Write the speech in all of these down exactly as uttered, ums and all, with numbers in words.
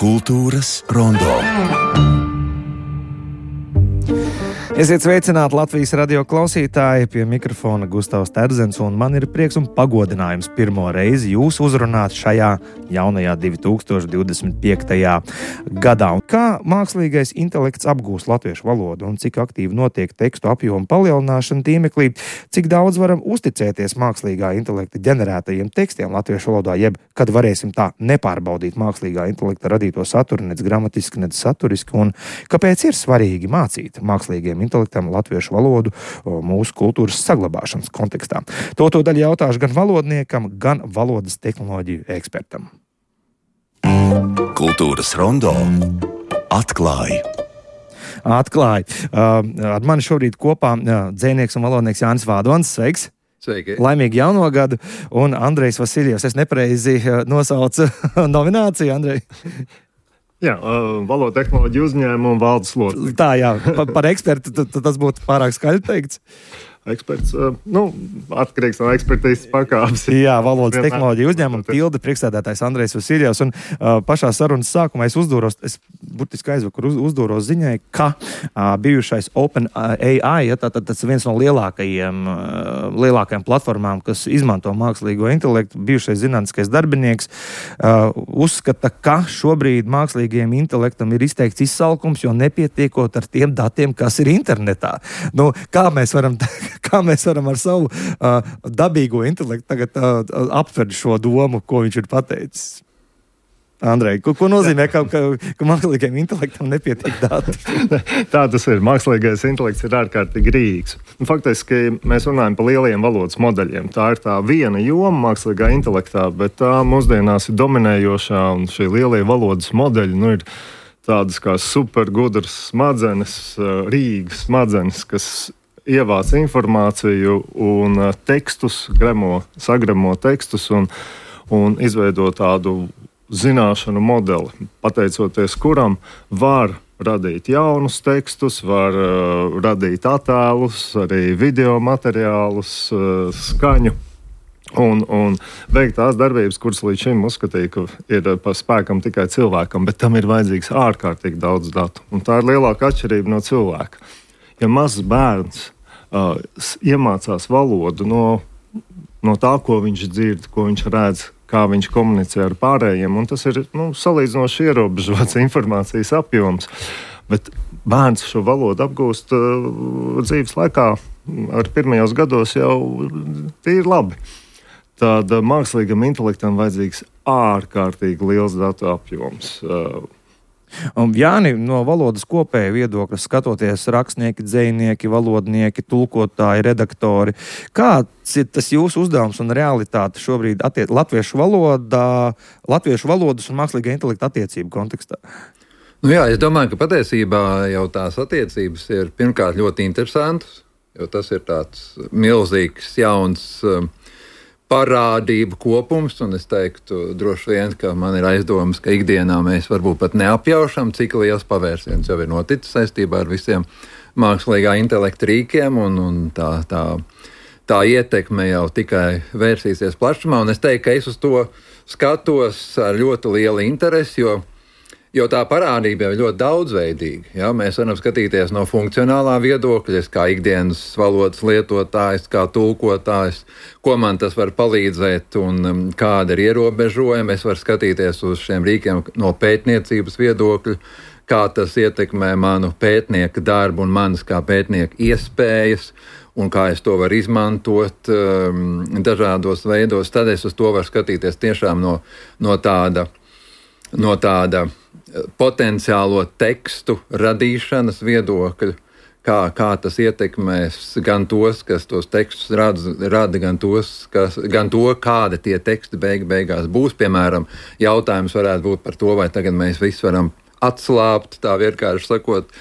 Kultūras rondo. Esiet sveicināti Latvijas radio klausītāji, pie mikrofona Gustavs Terzens, un man ir prieks un pagodinājums pirmo reizi jūs uzrunāt šajā jaunajā divi tūkstoši divdesmit piektajā gadā. Un kā mākslīgais intelekts apgūst latviešu valodu un cik aktīvi notiek tekstu apjomu palielināšana tīmeklī, cik daudz varam uzticēties mākslīgā intelekta ģenerētajiem tekstiem latviešu valodā, jeb kad varēsim tā nepārbaudīt mākslīgā intelekta radīto saturu nec gramatiski, nec saturiski, un kāpēc ir svarīgi mācīt mākslīgiem intelektam latviešu valodu mūsu kultūras saglabāšanas kontekstā. To to daļu jautāšu gan valodniekam, gan valodas tehnoloģiju ekspertam. Kultūras rondo atklāja. Atklāja. Uh, ar mani šobrīd kopā uh, dzejnieks un valodnieks Jānis Vādons. Sveiks! Sveiki! Laimīgi jauno gadu! Un Andrejs Vasiljevs. Es nepareizi uh, nosaucu nomināciju, Andrej? Jā, uh, valoda tehnoloģiju uzņēmumu valdes loceklis. Tā, jā, pa, par ekspertu t, t, tas būtu pārāk skaļi teikts. Eksperts, uh, nu, atkarīgs no ekspertīzes pakāpes. Jā, valodas tehnoloģiju uzņēmumu tilde priekšsēdētājs Andrejs Vasiljevs. Un uh, pašā sarunas sākumā es uzdūros, es burtiski aizvakar uz, uzdūros ziņai, ka uh, bijušais OpenAI, ja, tā, tā, tas viens no lielākajiem, uh, lielākajām platformām, kas izmanto mākslīgo intelektu, bijušais zinātniskais darbinieks, uh, uzskata, ka šobrīd mākslīgajiem intelektam ir izteikts izsalkums, jo nepietiekot ar tiem datiem, kas ir internetā. Nu, kā mēs varam... Kā mēs varam ar savu uh, dabīgo intelektu tagad uh, aptvert šo domu, ko viņš ir pateicis? Andrej, ko, ko nozīmē, ka, ka, ka mākslīgajam intelektam nepietiek dati? Tā tas ir. Mākslīgais intelekts ir ārkārtīgi rīks. Faktiski mēs runājam par lieliem valodas modeļiem. Tā ir tā viena joma mākslīgā intelektā, bet tā mūsdienās ir dominējošā, un šie lielie valodas modeļi nu, ir tādas kā supergudras smadzenes, rīgas smadzenes, kas ievāc informāciju un tekstus, gremo, sagremo tekstus un, un izveido tādu zināšanu modeli, pateicoties kuram var radīt jaunus tekstus, var uh, radīt attēlus, arī video materiālus, uh, skaņu un, un veikt tās darbības, kuras līdz šim uzskatīja, ka ir pa spēkam tikai cilvēkam, bet tam ir vajadzīgs ārkārtīgi daudz datu. Un tā ir lielāka atšķirība no cilvēka. Ja mazs bērns uh, iemācās valodu no, no tā, ko viņš dzird, ko viņš redz, kā viņš komunicē ar pārējiem, un tas ir nu, salīdzinoši ierobežots informācijas apjoms, bet bērns šo valodu apgūst uh, dzīves laikā ar pirmajos gados jau tīri labi. Tad uh, mākslīgam intelektam vajadzīgs ārkārtīgi liels datu apjoms. Uh, Un, Jāni, no valodas kopēja viedokļa skatoties rakstnieki, dzejnieki, valodnieki, tulkotāji, redaktori. Kāds ir tas jūsu uzdevums un realitāte šobrīd attiec latviešu valodā, latviešu valodas un mākslīgā intelekta attiecību kontekstā? Nu jā, es domāju, ka patiesībā jau tās attiecības ir pirmkārt ļoti interesantas, jo tas ir tāds milzīgs, jauns um, parādību kopums, un es teiktu droši vien, ka man ir aizdomas, ka ikdienā mēs varbūt pat neapjaušam, cik liels pavērsiens jau ir noticis saistībā ar visiem mākslīgā intelekta rīkiem, un, un tā, tā, tā ietekme jau tikai vērsīsies plašumā, un es teiktu, ka es uz to skatos ar ļoti lielu interesi, jo Jo tā parādība jau ir ļoti daudzveidīga. Ja? Mēs varam skatīties no funkcionālā viedokļa, kā ikdienas valodas lietotājs, kā tulkotājs, ko man tas var palīdzēt un um, kāda ir ierobežojuma. Es varu skatīties uz šiem rīkiem no pētniecības viedokļa, kā tas ietekmē manu pētnieka darbu un manas kā pētnieka iespējas, un kā es to varu izmantot um, dažādos veidos. Tad es uz to varu skatīties tiešām no, no tāda, no tāda potenciālo tekstu radīšanas viedokļu, kā, kā tas ietekmēs gan tos, kas tos tekstus rada, rada gan, tos, kas, gan to, kāda tie teksti beig, beigās būs. Piemēram, jautājums varētu būt par to, vai tagad mēs visi varam atslābt, tā vienkārši sakot,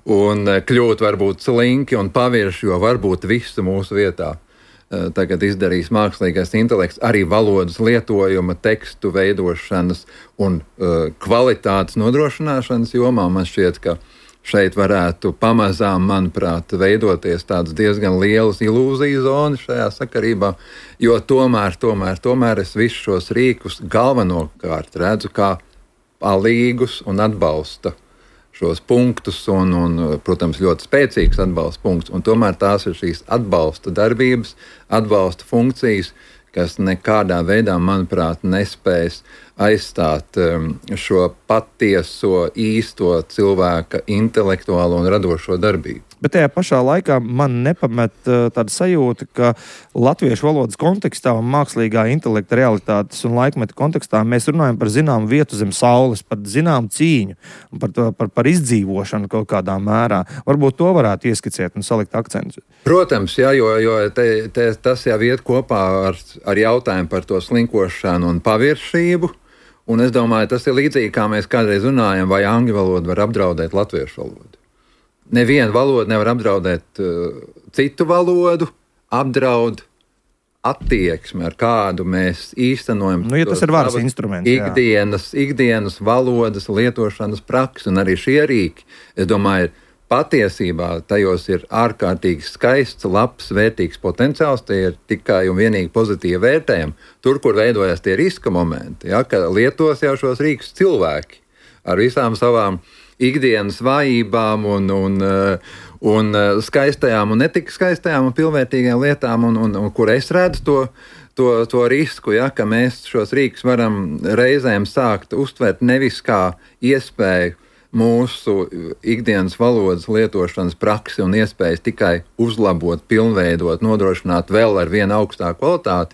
un kļūt varbūt slinki un pavirši, jo varbūt visu mūsu vietā tagad izdarījis mākslīgais intelekts arī valodas lietojuma, tekstu veidošanas un uh, kvalitātes nodrošināšanas jomā. Man šķiet, ka šeit varētu pamazām, manuprāt, veidoties tādas diezgan lielas ilūziju zonas šajā sakarībā, jo tomēr, tomēr, tomēr es visus šos rīkus galvenokārt redzu kā palīgus un atbalsta šos punktus un, un, protams, ļoti spēcīgs atbalsta punkts, un tomēr tās ir šīs atbalsta darbības, atbalsta funkcijas, kas nekādā veidā, manuprāt, nespējas aizstāt um, šo patieso, īsto cilvēka intelektuālo un radošo darbību. Bet tajā pašā laikā man nepamet uh, tāda sajūta, ka latviešu valodas kontekstā un mākslīgā intelekta realitātes un laikmeta kontekstā mēs runājam par zināmu vietu zem saules, par zināmu cīņu un par, to, par, par izdzīvošanu kaut kādā mērā. Varbūt to varētu ieskicēt un salikt akcentus. Protams, jā, jo, jo te, te, tas jau iet kopā ar, ar jautājumu par to slinkošanu un paviršību. Un es domāju, tas ir līdzīgi, kā mēs kādreiz runājam, vai angļu valoda var apdraudēt latviešu valodu. Neviena valoda nevar apdraudēt uh, citu valodu, apdraud attieksmi, ar kādu mēs īstenojam. Nu, ja tas ir varas instruments. Ikdienas, ikdienas valodas lietošanas praksi, un arī šie rīki, es domāju, ir patiesībā tajos ir ārkārtīgi skaists, labs, vērtīgs potenciāls, tie ir tikai un vienīgi pozitīvi vērtējumi. Tur, kur veidojas tie riska momenti, ja, ka lietos jau šos rīkus cilvēki ar visām savām ikdienas vājībām un, un, un skaistajām un netik skaistajām un pilnvērtīgām lietām, un, un, un kur es redzu to, to, to risku, ja, ka mēs šos rīkus varam reizēm sākt uztvert nevis kā iespēju mūsu ikdienas valodas lietošanas praksi un iespējas tikai uzlabot, pilnveidot, nodrošināt vēl ar vienu augstāku kvalitāti,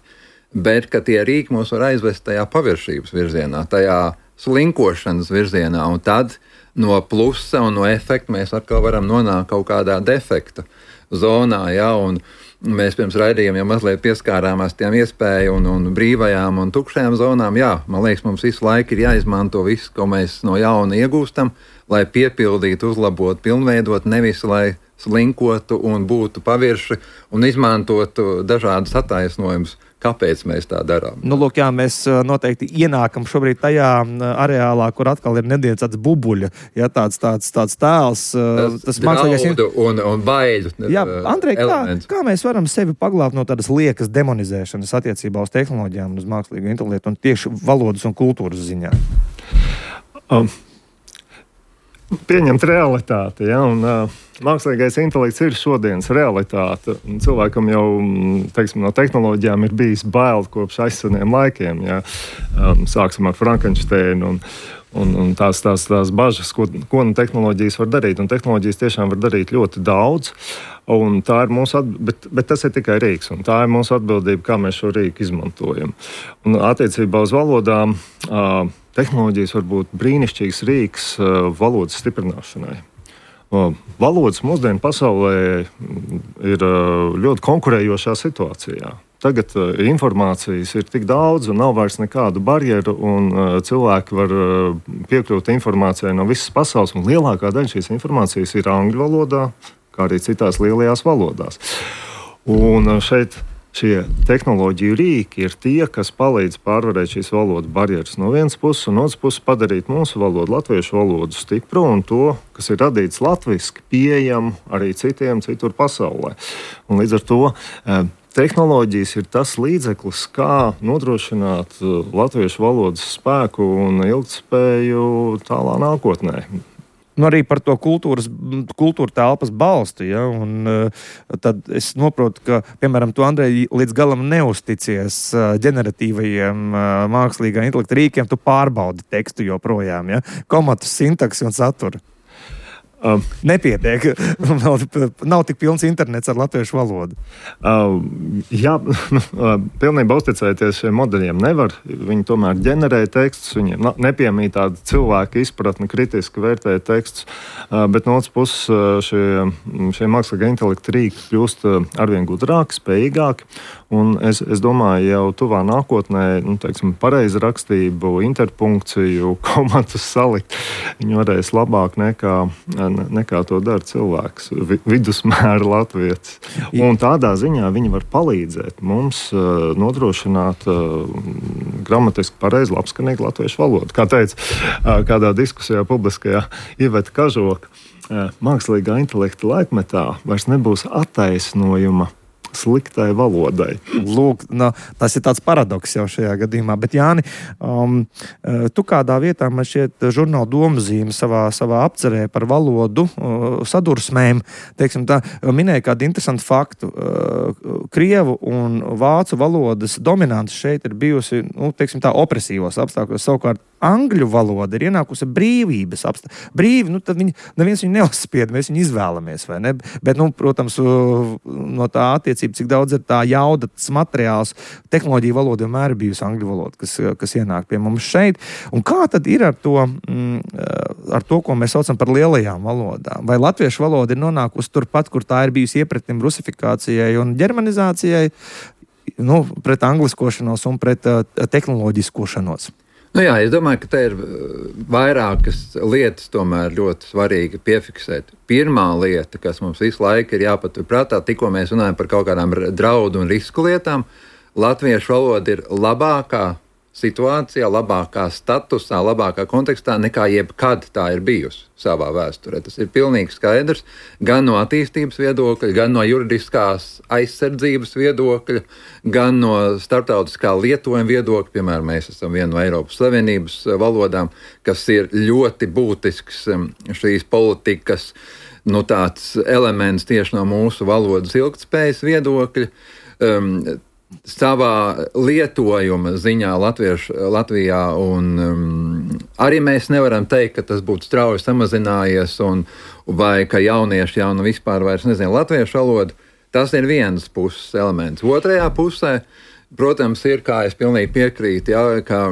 bet ka tie rīki mūs var aizvest tajā paviršības virzienā, tajā slinkošanas virzienā, un tad no plusa un no efekta mēs atkal varam nonākt kaut kādā defekta zonā, ja, un mēs pirms raidījuma jau mazliet pieskārāmies tiem iespēju un, un brīvajām un tukšajām zonām. Jā, man liekas, mums visu laiku ir jāizmanto viss, ko mēs no jauna iegūstam, lai piepildītu, uzlabotu, pilnveidot, nevis lai slinkotu un būtu pavirši un izmantotu dažādas attaisnojumus, kāpēc mēs tā darām. Nu, lūk, jā, mēs noteikti ienākam šobrīd tajā areālā, kur atkal ir nedaudz tāds bubuļa, ja, tāds, tāds, tāds tēls. Tas, tas mākslīgais un, un baiļu. Jā, Andrej, kā, kā mēs varam sevi paglābt no tādas liekas demonizēšanas attiecībā uz tehnoloģijām un uz mākslīgo intelektu un tieši valodas un kultūras ziņā? Um. Pieņemt realitāti, ja, un uh, mākslīgais intelekts ir šodienas realitāte. Cilvēkam jau, teiksim, no tehnoloģijām ir bijis bail kopš aizseniem laikiem, ja. Um, sāksim ar Frankensteinu un, un, un tās, tās, tās bažas, ko, ko nu tehnoloģijas var darīt. Un tehnoloģijas tiešām var darīt ļoti daudz, un tā ir mūsu atbildība, bet, bet tas ir tikai rīks, un tā ir mūsu atbildība, kā mēs šo rīku izmantojam. Un attiecībā uz valodām, uh, tehnoloģijas var būt brīnišķīgs rīks uh, valodas stiprināšanai. Uh, valodas mūsdienu pasaulē ir uh, ļoti konkurējošā situācijā. Tagad uh, informācijas ir tik daudz un nav vairs nekādu barjeru, un uh, cilvēki var uh, piekļūt informācijai no visas pasaules, un lielākā daļa šīs informācijas ir angļu valodā, kā arī citās lielajās valodās. Un uh, šeit šie tehnoloģiju rīki ir tie, kas palīdz pārvarēt šīs valodas barjeras no vienas puses, un otras puses padarīt mūsu valodu, latviešu valodu stipru un to, kas ir radīts latviski, pieejamu arī citiem citur pasaulē. Un līdz ar to eh, tehnoloģijas ir tas līdzeklis, kā nodrošināt latviešu valodas spēku un ilgtspēju tālā nākotnē. Nu, arī par to kultūras, kultūra telpas balstu. Ja? Un, uh, tad es saprotu, ka, piemēram, tu, Andrej, līdz galam neusticies uh, ģeneratīvajiem uh, mākslīgā intelekta rīkiem, tu pārbaudi tekstu joprojām, ja? Komatus, sintaksi un saturu. Um, Nepietiek. nav, nav tik pilns internets ar latviešu valodu. Uh, jā, uh, pilnībā uzticēties šiem modeļiem nevar. Viņi tomēr ģenerē tekstus, viņiem nepiemīt tāda cilvēka izpratne, kritiski vērtē tekstus, uh, bet no otras puses uh, šie, šie mākslīgā intelekta rīki kļūst uh, arvien gudrāki, spējīgāki. Un es, es domāju, jau tuvā nākotnē, nu, teiksim, pareizi rakstību, interpunkciju, komatus salikt, viņi varēs labāk nekā nekā to dara cilvēks, vi, vidusmēra latvietis. Un tādā ziņā viņi var palīdzēt mums uh, nodrošināt uh, gramatiski pareizi, labskanīgu latviešu valodu. Kā teica uh, kādā diskusijā publiskajā Iveta Kažoka, uh, mākslīgā intelekta laikmetā vairs nebūs attaisnojuma sliktai valodai. Lūk, no, tas ir tāds paradoks jau šajā gadījumā. Bet, Jāni, um, tu kādā vietā, man šķiet, žurnāla Domzīme savā, savā apcerē par valodu uh, sadursmēm, teiksim tā, minēja kādu interesantu faktu. Uh, Krievu un vācu valodas dominants šeit ir bijusi, nu, teiksim tā, opresīvos apstākļos. Savukārt angļu valoda ir ienākusi brīvības apstākļos. Brīvi, nu, tad viņi, neviens viņu neuzspied, mēs viņu izvēlamies, vai ne? Bet, nu, protams, no tā attiecība, cik daudz ir tā jauda, tas materiāls, tehnoloģija valoda vienmēr ir bijusi angļu valoda, kas, kas ienāk pie mums šeit. Un kā tad ir ar to, mm, ar to, ko mēs saucam par lielajām valodām? Vai latviešu valoda ir nonākusi turpat, kur tā ir bijusi iepretim rusifikācijai un ģermanizācijai, nu, pret angliskošanos un pret uh, tehnoloģiskošanos? Nu jā, es domāju, ka te ir vairākas lietas tomēr ļoti svarīgi piefiksēt. Pirmā lieta, kas mums visu laiku ir jāpatur prātā, tikko mēs runājam par kaut kādām draudu un risku lietām, latviešu valoda ir labākā situācijā, labākā statusā, labākā kontekstā nekā jebkad tā ir bijusi savā vēsturē. Tas ir pilnīgi skaidrs gan no attīstības viedokļa, gan no juridiskās aizsardzības viedokļa, gan no starptautiskā lietojuma viedokļa. Piemēram, mēs esam viena no Eiropas Savienības valodām, kas ir ļoti būtisks šīs politikas, nu, tāds elements tieši no mūsu valodas ilgtspējas viedokļa. Um, Savā lietojuma ziņā Latviešu, Latvijā un um, arī mēs nevaram teikt, ka tas būtu strauji samazinājies un, vai ka jaunieši jau nu vispār vairs nezina latviešu valodu. Tas ir viens puses elements. Otrajā pusē, protams, ir, kā es pilnīgi piekrītu, jā, ka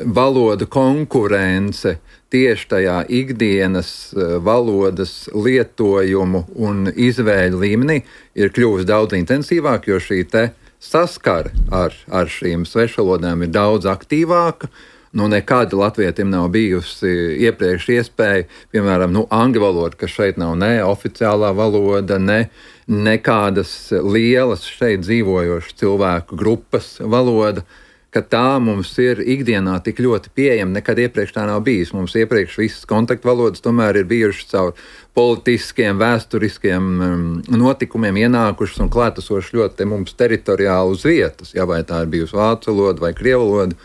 valoda konkurence tieši tajā ikdienas valodas lietojumu un izvēļu līmenī ir kļuvusi daudz intensīvāk, jo šī te saskara ar, ar šīm svešvalodām ir daudz aktīvāka. Nu, nekad latvietim nav bijusi iepriekš iespēja, piemēram, nu, angļu valoda, kas šeit nav ne oficiālā valoda, ne nekādas lielas šeit dzīvojošas cilvēku grupas valoda, ka tā mums ir ikdienā tik ļoti pieejama, nekad iepriekš tā nav bijis. Mums iepriekš visas kontaktvalodas tomēr ir bijušas caur politiskiem, vēsturiskiem um, notikumiem ienākušas un klātesošas ļoti mums teritoriāli uz vietas, ja vai tā ir bijusi vācu valoda vai krievu valoda.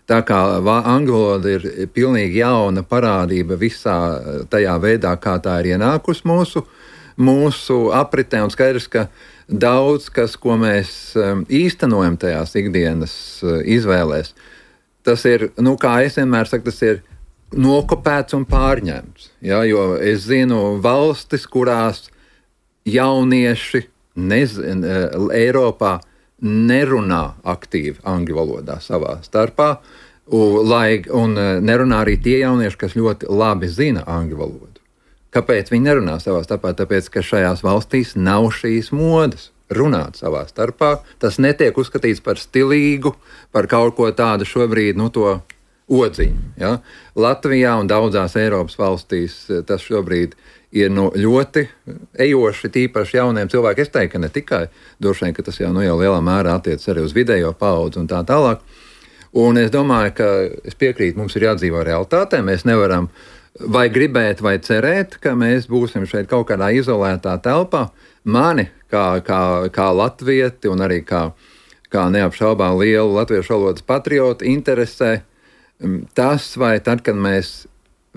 Tā kā angļu valoda ir pilnīgi jauna parādība visā tajā veidā, kā tā ir ienākusi mūsu, mūsu apritē, un skaidrs, ka daudz kas, ko mēs īstenojam tajās ikdienas izvēlēs, tas ir, nu, kā es vienmēr saku, tas ir nokopēts un pārņemts. Ja, jo es zinu valstis, kurās jaunieši nezin, Eiropā nerunā aktīvi angļu valodā savā starpā, un, lai, un nerunā arī tie jaunieši, kas ļoti labi zina angļu valodu. Kāpēc viņi nerunā savā starpā? Tāpēc, ka šajās valstīs nav šīs modes runāt savā starpā. Tas netiek uzskatīts par stilīgu, par kaut ko tādu šobrīd, nu, to odziņu. Ja? Latvijā un daudzās Eiropas valstīs tas šobrīd ir nu, ļoti ejoši, tīpaši jauniem cilvēkiem. Es teiktu, ka ne tikai, droši vien, ka tas jau, nu, jau lielā mērā attiec arī uz vidējo paudzi un tā tālāk. Un es domāju, ka es piekrītu, mums ir jādzīvo realitātē, mēs nevaram vai gribēt, vai cerēt, ka mēs būsim šeit kaut kādā izolētā telpā. Mani, kā, kā, kā latvieti un arī kā, kā neapšaubām lielu latviešu valodas patriotu, interesē tas, vai tad, kad mēs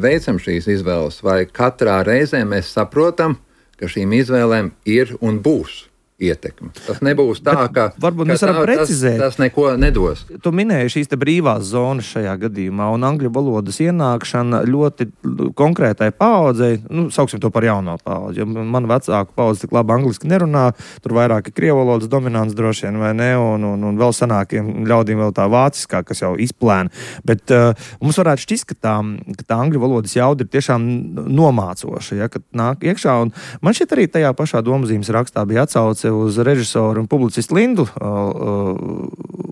veicam šīs izvēles, vai katrā reizē mēs saprotam, ka šīm izvēlēm ir un būs ietekme. Tas nebūs tā, Bet ka, varbūt ka mēs varam tā, precizēt. Tas, tas neko nedos. Tu minēji šīs te brīvās zonas šajā gadījumā, un angļu valodas ienākšana ļoti konkrētai paaudzei, nu, sauksim to par jauno paudzi, jo man vecāku paudzi tik labi angliski nerunā, tur vairāk ir krievu valodas dominants droši vien, vai ne, un, un, un vēl sanākiem ļaudīm vēl tā vāciskā, kas jau izplēna. Bet uh, mums varētu šķist, ka tā, ka tā angļu valodas jauda ir tiešām nomācoša, ja, kad nāk iekšā, un man šeit arī tajā pašā Domzīmes rakstā bija atsauce uz režisoru un publicistu Lindu uh, uh,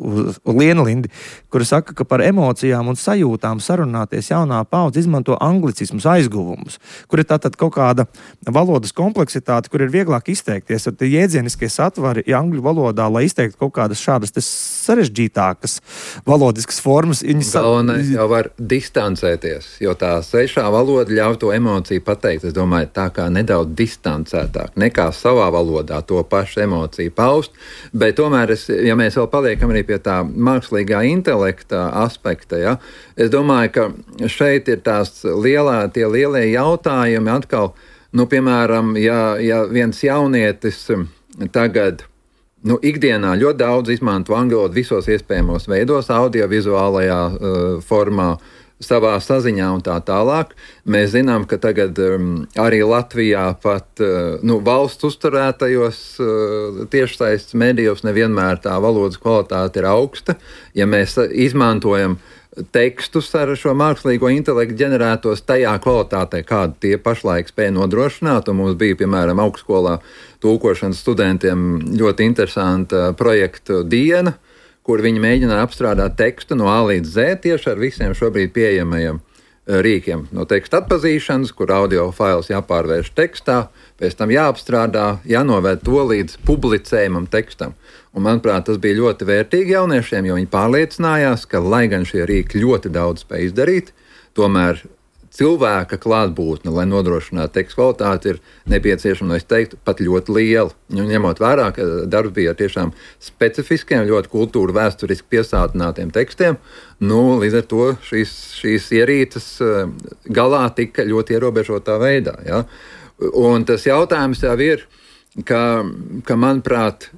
uz, uz Lienu Lindi, kura saka, ka par emocijām un sajūtām sarunāties jaunā paudze izmanto anglicismus, aizguvumus, kur ir tātad kaut kāda valodas kompleksitāte, kur ir vieglāk izteikties. Ar tie jēdzieniskie satvari angļu valodā, lai izteiktu kaut kādas šādas sarežģītākas valodiskas formas. Galvenais jau var distancēties, jo tā svešā valoda ļauj to emociju pateikt. Es domāju, tā kā nedaudz distancētāk, nekā savā valodā to pašu emociju paust, bet tomēr, es, ja mēs vēl paliekam arī pie tā mākslīgā intelekta aspekta, ja, es domāju, ka šeit ir tās lielā, tie lielie jautājumi atkal, nu, piemēram, ja, ja viens jaunietis tagad Nu, ikdienā ļoti daudz izmanto angļu valodu visos iespējamos veidos, audiovizuālajā uh, formā, savā saziņā un tā tālāk. Mēs zinām, ka tagad um, arī Latvijā pat uh, nu, valsts uzturētajos uh, tiešsaistes medijos nevienmēr tā valodas kvalitāte ir augsta. Ja mēs izmantojam tekstus ar šo mākslīgo intelektu ģenerētos tajā kvalitātē, kādu tie pašlaik spēja nodrošināt. Un mums bija, piemēram, augstskolā tulkošanas studentiem ļoti interesanta projekta diena, kur viņi mēģināja apstrādāt tekstu no A līdz Z tieši ar visiem šobrīd pieejamajiem rīkiem. No teksta atpazīšanas, kur audio fails jāpārvērš tekstā, pēc tam jāapstrādā, jānovērt to līdz publicējumam tekstam. Un, manuprāt, tas bija ļoti vērtīgi jauniešiem, jo viņi pārliecinājās, ka, lai gan šie rīki ļoti daudz spēj izdarīt, tomēr cilvēka klātbūtne, lai nodrošinātu tekstu kvalitāti, ir nepieciešama, no es teiktu, pat ļoti liela. Un ņemot vērā, ka darbs bija ar tiešām specifiskiem, ļoti kultūra vēsturiski piesātinātiem tekstiem, nu, līdz ar to šīs, šīs ierīces galā tika ļoti ierobežotā veidā. Ja? Un tas jautājums jau ir, ka, ka manuprāt,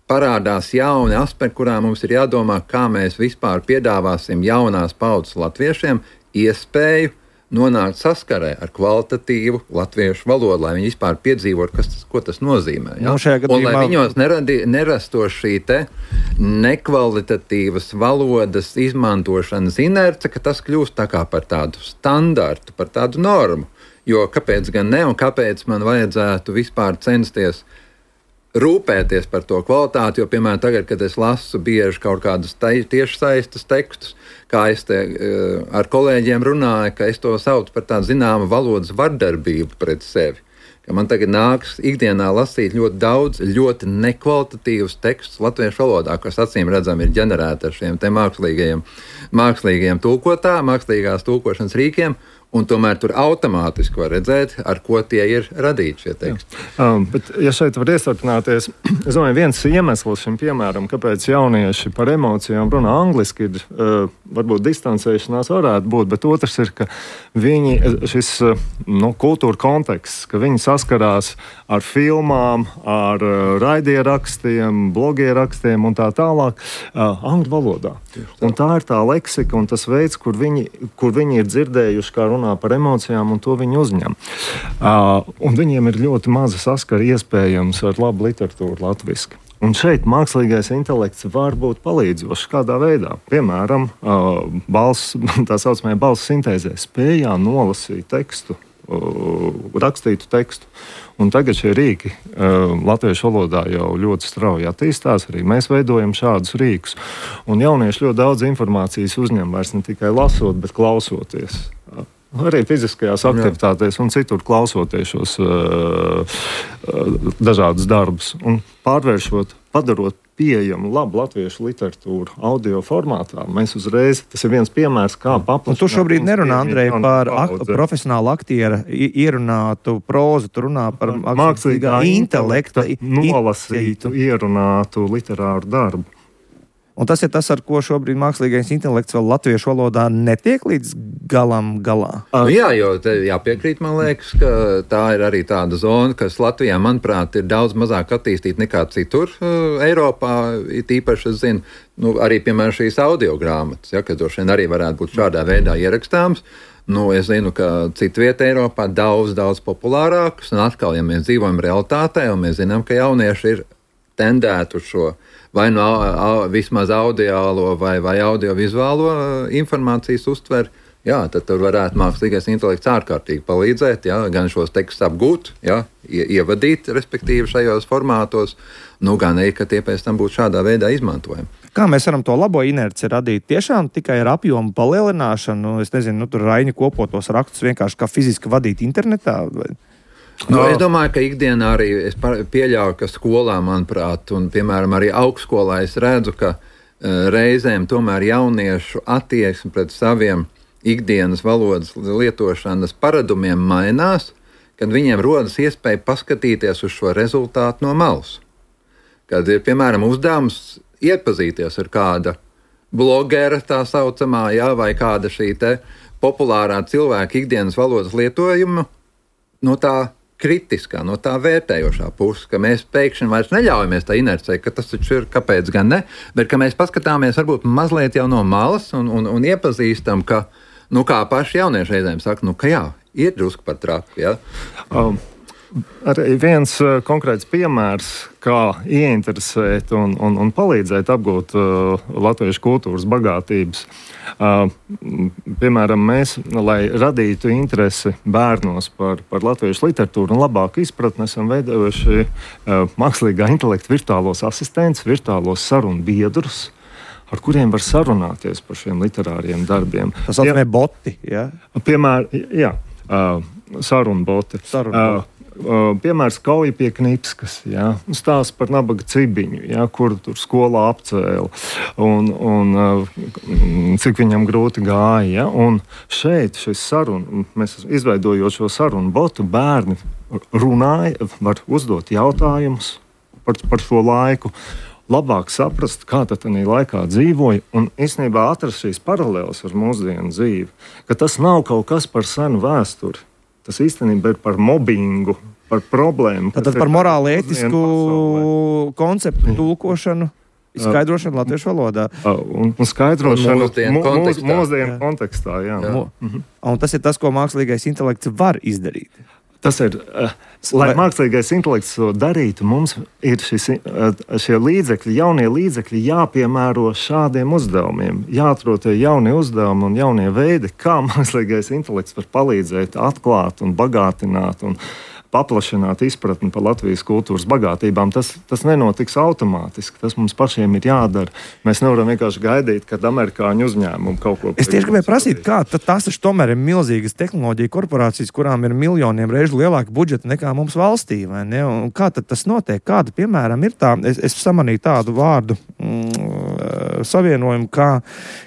parādās jauni aspekti, kurā mums ir jādomā, kā mēs vispār piedāvāsim jaunās paudzes latviešiem iespēju nonākt saskarē ar kvalitatīvu latviešu valodu, lai viņi vispār piedzīvotu, kas tas, ko tas nozīmē. Ja? Nu, gadījumā... Un lai viņos neradi, nerastos šī te nekvalitatīvas valodas izmantošanas inerce, ka tas kļūst tā kā par tādu standartu, par tādu normu. Jo kāpēc gan ne un kāpēc man vajadzētu vispār censties rūpēties par to kvalitāti, jo, piemēram, tagad, kad es lasu bieži kaut kādus tiešsaistes tekstus, kā es te uh, ar kolēģiem runāju, ka es to saucu par tādu zināmu valodas vardarbību pret sevi. Ka man tagad nāks ikdienā lasīt ļoti daudz, ļoti nekvalitatīvus tekstus latviešu valodā, kas acīm redzam ir ģenerēti ar šiem te mākslīgajiem, mākslīgajiem tulkotā, mākslīgās tulkošanas rīkiem, un tomēr tur automātiski var redzēt, ar ko tie ir radīti šie teksti. Um, bet, ja šeit var iestarpināties, es domāju, viens iemesls šim piemēram, kāpēc jaunieši par emocijām runā angliski, ir uh, varbūt distancēšanās varētu būt, bet otrs ir, ka viņi, šis uh, nu, kultūra konteksts, ka viņi saskarās ar filmām, ar uh, raidierakstiem, blogierakstiem un tā tālāk uh, angļu valodā. Un tā ir tā leksika un tas veids, kur viņi, kur viņi ir dzirdējuši, kā runā par emocijām, un to viņi uzņem. Uh, un viņiem ir ļoti maza saskara iespējams ar labu literatūru latviski. Un šeit mākslīgais intelekts var būt palīdzošs kādā veidā. Piemēram, uh, balss, tā saucamajā balss sintēzē spējā nolasīt tekstu, uh, rakstītu tekstu. Un tagad šie rīki uh, latviešu valodā jau ļoti strauji attīstās. Arī mēs veidojam šādus rīkus. Un jaunieši ļoti daudz informācijas uzņem vairs ne tikai lasot, bet klausoties. Arī fiziskajās aktivitātēs un citur klausoties šos uh, uh, dažādus darbus un pārvēršot, padarot pieejamu labu latviešu literatūru audio formātā. Mēs uzreiz, tas ir viens piemērs, kā paplašināt. Tu šobrīd nerunā, Andrej, par ak profesionālu aktiera ierunātu prózu, tu runā par mākslīgā intelekta nolasītu, ierunātu literāru darbu. Un tas ir tas, ar ko šobrīd mākslīgais intelekts vēl latviešu valodā netiek līdz galam galā. Uh, jā, jo te jāpiekrīt, man liekas, ka tā ir arī tāda zona, kas Latvijā, manuprāt, ir daudz mazāk attīstīta nekā citur uh, Eiropā. Tīpaši, es zinu, nu, arī, piemēram, šīs audiogrāmatas, ja, kas droši vien arī varētu būt šādā veidā ierakstāms. Nu, es zinu, ka citu vietu Eiropā daudz, daudz populārākas, un atkal, ja mēs dzīvojam realitātē, un mēs zinām, ka jaunieši ir tendētu šo vai no au, vismaz audiālo vai, vai audiovizuālo informācijas uztver, jā, tad tur varētu mākslīgais intelekts ārkārtīgi palīdzēt, jā, gan šos tekstus apgūt, jā, ievadīt, respektīvi šajos formātos, nu gan arī, ka tie pēc tam būtu šādā veidā izmantojami. Kā mēs varam to labo inerci radīt? Tiešām tikai ar apjomu palielināšanu, es nezinu, nu, tur Raini kopotos rakstus vienkārši kā fiziski vadīt internetā? Vai? Nu, es domāju, ka ikdienā arī es pieļauju, ka skolā, manuprāt, un piemēram arī augstskolā es redzu, ka uh, reizēm tomēr jauniešu attieksme pret saviem ikdienas valodas lietošanas paradumiem mainās, kad viņiem rodas iespēja paskatīties uz šo rezultātu no malas. Kad ir, piemēram, uzdevums iepazīties ar kāda blogera tā saucamā, jā, vai kāda šī te populārā cilvēka ikdienas valodas lietojuma no tā kritiskā, no tā vērtējošā puses, ka mēs pēkšņi vairs neļaujamies tā inercei, ka tas taču ir, kāpēc gan ne, bet ka mēs paskatāmies varbūt mazliet jau no malas un, un, un iepazīstam, ka, nu kā paši jaunieši reizēm saka, nu ka jā, ir drusku par traku, jā. Um. Arī viens uh, konkrēts piemērs, kā ieinteresēt un, un, un palīdzēt apgūt uh, latviešu kultūras bagātības. Uh, piemēram, mēs, lai radītu interesi bērnos par, par latviešu literatūru un labāku izpratni, esam veidojuši uh, mākslīgā intelekta virtuālos asistents, virtuālos sarunu biedrus, ar kuriem var sarunāties par šiem literāriem darbiem. Tas saucamie boti, jā? Piemēram, jā, uh, sarunu boti. Sarunu boti. Uh, Uh, piemērs Kauja pie Knipskas, ja? Stāsts par nabaga cibiņu, ja? Kuru tur skolā apcēla un, un uh, cik viņam grūti gāja. Ja? Un šeit šis sarunu, mēs izveidojot šo sarunu botu, bērni runāja, var uzdot jautājumus par, par šo laiku, labāk saprast, kā tad tādā laikā dzīvoja un īstenībā atrast šīs paralēlas ar mūsdienu dzīvi, ka tas nav kaut kas par senu vēsturi. Tas īstenībā ir par mobbingu, par problēmu. Tad par morāli ētisku konceptu tulkošanu, izskaidrošanu latviešu valodā. Un, un skaidrošanu mūsdienu kontekstā. Mūsdienu kontekstā, jā. jā. Mhm. Un tas ir tas, ko mākslīgais intelekts var izdarīt. Tas ir, uh, lai mākslīgais intelekts to darītu, mums ir šis, uh, šie līdzekļi, jaunie līdzekļi jāpiemēro šādiem uzdevumiem. Jāatrod tie jaunie uzdevumi un jaunie veidi, kā mākslīgais intelekts var palīdzēt atklāt un bagātināt un paplašināt izpratni par Latvijas kultūras bagātībām. Tas, tas nenotiks automātiski. Tas mums pašiem ir jādara. Mēs nevaram vienkārši gaidīt, kad amerikāņu uzņēmumi kaut ko. Es tieši gribēju prasīt, kā tas taču tomēr ir milzīgas tehnoloģija korporācijas, kurām ir miljoniem reižu lielāka budžeta nekā mums valstī, vai ne? Un kā tad tas notiek? Kāda, piemēram, ir tā? Es, es samanīju tādu vārdu mm, savienojumu kā,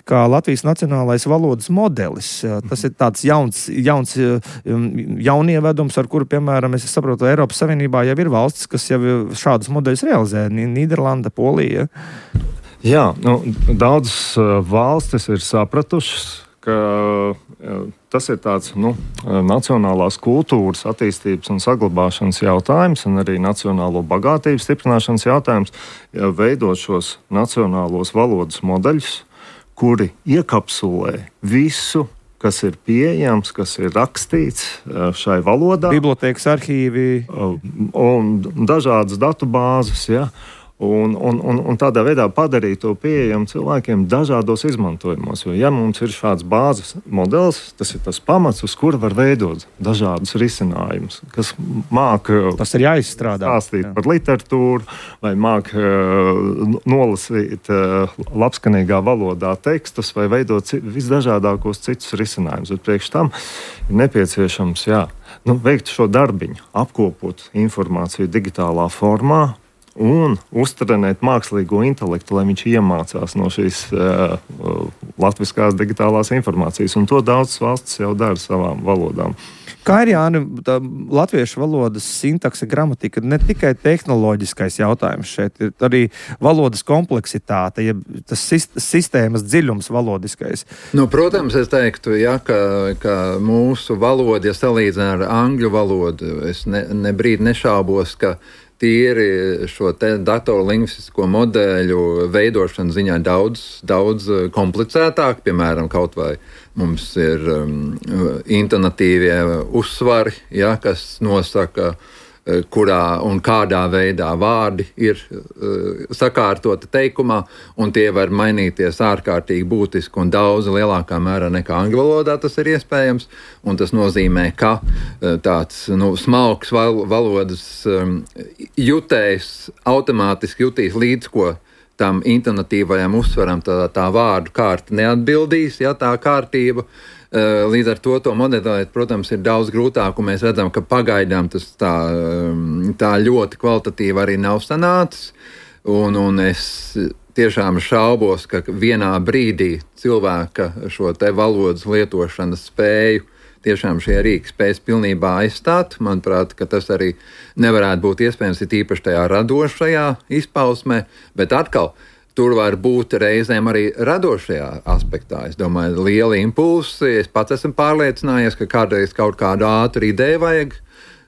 kā Latvijas nacionālais valodas modelis. Tas ir tāds jauns, jauns jaunievedums, ar kuru, piemēram, es saprotu, Eiropas Savienībā jau ir valstis, kas jau šādus modeļus realizē. Nīderlanda, Polija. Jā, nu, daudzas valstis ir sapratušas, ka tas ir tāds nu, nacionālās kultūras attīstības un saglabāšanas jautājums un arī nacionālo bagātības stiprināšanas jautājums, veidot šos nacionālos valodas modeļus, kuri iekapsulē visu, kas ir pieejams, kas ir rakstīts šai valodā. Bibliotēkas arhīvi. Un dažādas datubāzes, ja. Un, un, un, un tādā veidā padarīt to pieejamu cilvēkiem dažādos izmantojumos. Jo, ja mums ir šāds bāzes modelis, tas ir tas pamats, uz kura var veidot dažādus risinājumus, kas māk tas ir jāizstrādā. Stāstīt Jā. par literatūru, vai māk uh, nolasīt uh, labskanīgā valodā tekstus, vai veidot visdažādākos citus risinājumus. Bet priekš tam ir nepieciešams jā, nu, veikt šo darbiņu, apkopot informāciju digitālā formā, un uztrenēt mākslīgo intelektu, lai viņš iemācās no šīs uh, latviskās digitālās informācijas. Un to daudzas valstis jau dara savām valodām. Kā ir, Jāni, tā latviešu valodas sintakse, gramatika, ne tikai tehnoloģiskais jautājums šeit, ir arī valodas kompleksitāte, ja tas sistēmas dziļums valodiskais. Nu, protams, es teiktu, ja, ka, ka mūsu valoda, ja salīdzina ar angļu valodu, es ne, ne brīdi nešaubos, ka tīri šo datorlingvistisko modeļu veidošana ziņā daudz, daudz komplicētāk. Piemēram, kaut vai mums ir um, intonatīvie uzsvari, ja, kas nosaka, kurā un kādā veidā vārdi ir uh, sakārtoti teikumā, un tie var mainīties ārkārtīgi būtiski un daudz lielākā mērā nekā angļu valodā tas ir iespējams, un tas nozīmē, ka uh, tāds nu, smalks val- valodas um, jutējs automātiski jutīs līdz, ko tam intonatīvajam uzsvaram tā, tā vārdu kārta neatbildīs, ja tā kārtība. Līdz ar to to modelēt, protams, ir daudz grūtāk, un mēs redzam, ka pagaidām tas tā, tā ļoti kvalitatīvi arī nav sanācis, un, un es tiešām šaubos, ka vienā brīdī cilvēka šo te valodas lietošanas spēju tiešām šie rīki spējas pilnībā aizstāt. Manuprāt, ka tas arī nevarētu būt iespējams, ir īpaši tajā radošajā izpausmē, bet atkal tur var būt reizēm arī radošajā aspektā. Es domāju, lieli impulsi. Es pats esmu pārliecinājies, ka kādreiz kaut kādu ātru ideju vajag,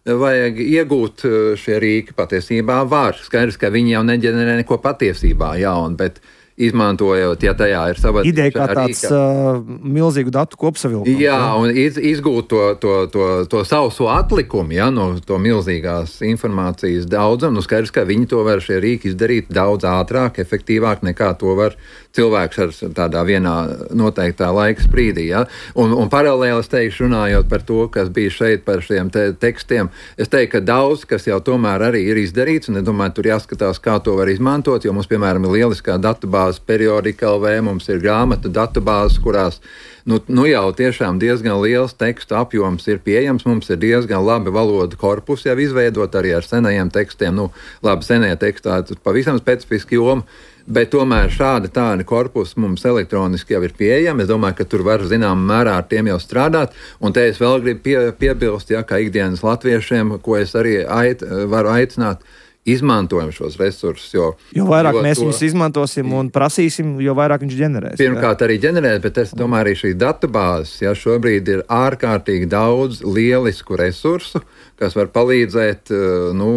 vajag iegūt. Šie rīki patiesībā var. Skaidrs, ka viņi jau neģenerē neko patiesībā jaunu, bet izmantojot, ja tajā ir sava ideja kā tāds uh, milzīgu datu kopsavilkums. Jā, un iz, izgūt to, to, to, to sauso atlikumu, ja, no to milzīgās informācijas daudzam. Nu, skaidrs, ka viņi to var šie rīki izdarīt daudz ātrāk, efektīvāk nekā to var cilvēks ar tādā vienā noteiktā laika sprīdī. Ja. Un, un paralēli es teikšu, runājot par to, kas bija šeit par šiem te tekstiem, es teiktu, ka daudz, kas jau tomēr arī ir izdarīts, un es domāju, tur jāskatās, kā to var izmantot, jo mums, piemēram, ir lieliskā datubāze periodika L V, mums ir grāmatu datubāzes, kurās nu, nu jau tiešām diezgan liels tekstu apjoms ir pieejams, mums ir diezgan labi valodu korpusi jau izveidot arī ar senajiem tekstiem, nu labi, senie tekstā, tas pavisam specifiski joma, bet tomēr šādi tādi korpusi mums elektroniski jau ir pieejami. Es domāju, ka tur var zinām mērā ar tiem jau strādāt, un te es vēl gribu pie, piebilst, ja, kā ikdienas latviešiem, ko es arī ait, varu aicināt, izmantojam šos resursus. Jo, jo vairāk jo mēs to, viņus izmantosim un prasīsim, jo vairāk viņš ģenerēs. Pirmkārt jā. Arī ģenerēt, bet es domāju, arī šīs datubāzes, ja šobrīd ir ārkārtīgi daudz lielisku resursu, kas var palīdzēt nu,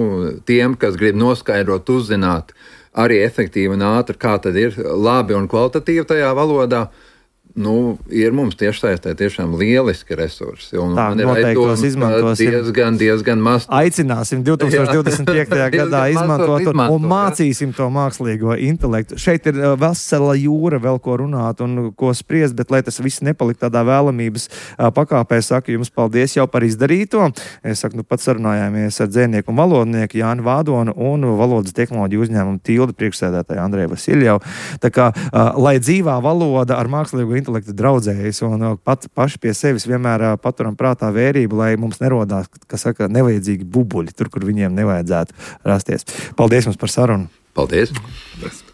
tiem, kas grib noskaidrot, uzzināt arī efektīvi un ātri, kā tad ir labi un kvalitatīvi tajā valodā. Nu, ir mums tiešsaistē tiešām lieliski resursi. Un tā, man ir noteiktos izmantosim. Diezgan, diezgan maz. Aicināsim divtūkstoš divdesmit piektajā gadā izmantot un, un mācīsim to mākslīgo intelektu. Šeit ir vesela jūra vēl ko runāt un ko spriest, bet lai tas viss nepalikt tādā vēlamības pakāpē, saku jums paldies jau par izdarīto. Es saku, nu pats sarunājāmies ar dzēnieku un valodnieku Jāni Vādonu un valodas tehnoloģiju uzņēmumu Tildi priekšsēdētāju Andreju Vasiljevu. Tā kā, lai dzīvā valoda ar mākslīgo intelektu draudzējas un pat paši pie sevis vienmēr paturam prātā vērību, lai mums nerodās, kas saka, nevajadzīgi bubuļi tur, kur viņiem nevajadzētu rasties. Paldies jums par sarunu. Paldies. Paldies.